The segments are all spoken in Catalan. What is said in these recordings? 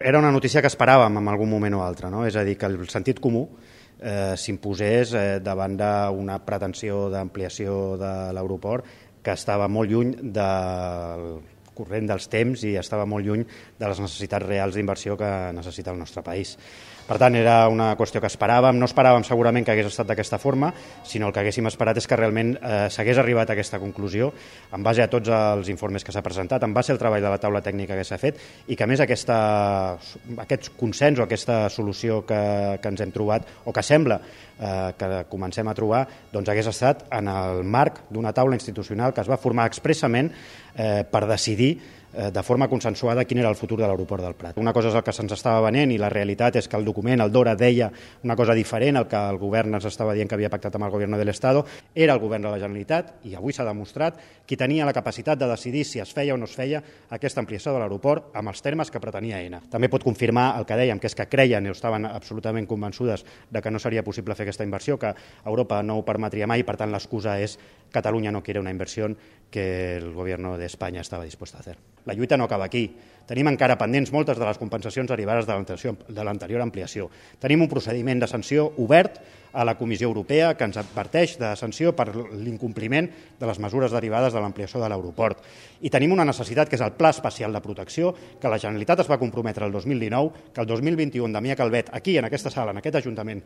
Era una notícia que esperàvem en algun moment o altre, no? És a dir, que el sentit comú s'imposés davant d'una pretensió d'ampliació de l'aeroport que estava molt lluny del corrent dels temps i estava molt lluny de les necessitats reals d'inversió que necessita el nostre país. Per tant, era una qüestió que esperàvem. No esperàvem segurament que hagués estat d'aquesta forma, sinó el que haguéssim esperat és que realment s'hagués arribat a aquesta conclusió en base a tots els informes que s'ha presentat, en base al treball de la taula tècnica que s'ha fet i que a més aquest consens o aquesta solució que ens hem trobat o que sembla que comencem a trobar doncs hagués estat en el marc d'una taula institucional que es va formar expressament per decidir de forma consensuada quin era el futur de l'aeroport del Prat. Una cosa és el que se'ns estava venent i la realitat és que el document, el DORA, deia una cosa diferent al que el govern ens estava dient que havia pactat amb el govern de l'Estado. Era el govern de la Generalitat i avui s'ha demostrat qui tenia la capacitat de decidir si es feia o no es feia aquesta ampliació de l'aeroport amb els termes que pretenia Aena. També pot confirmar el que dèiem, que és que creien o estaven absolutament convençudes de que no seria possible fer aquesta inversió, que Europa no ho permetria mai, per tant l'excusa és Catalunya no quiere una inversión que el gobierno de España estaba dispuesto a hacer. La lluita no acaba aquí. Tenim encara pendents moltes de les compensacions derivades de l'anterior ampliació. Tenim un procediment de sanció obert a la Comissió Europea que ens adverteix de sanció per l'incompliment de les mesures derivades de l'ampliació de l'aeroport. I tenim una necessitat que és el Pla Especial de Protecció, que la Generalitat es va comprometre el 2019, que el 2021 Damià Calvet, aquí en aquesta sala, en aquest Ajuntament,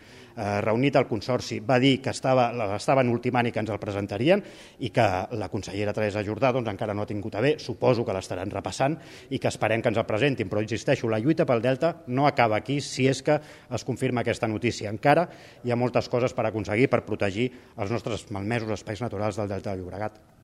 reunit al Consorci, va dir que l'estaven ultimant i que ens el presentarien i que la consellera Teresa Jordà encara no ha tingut a bé, suposo que l'estaran repassant i que esperem que ens el presentin. Però insisteixo, la lluita pel Delta no acaba aquí si és que es confirma aquesta notícia. Encara hi ha moltes coses per aconseguir per protegir els nostres malmesos espais naturals del Delta del Llobregat.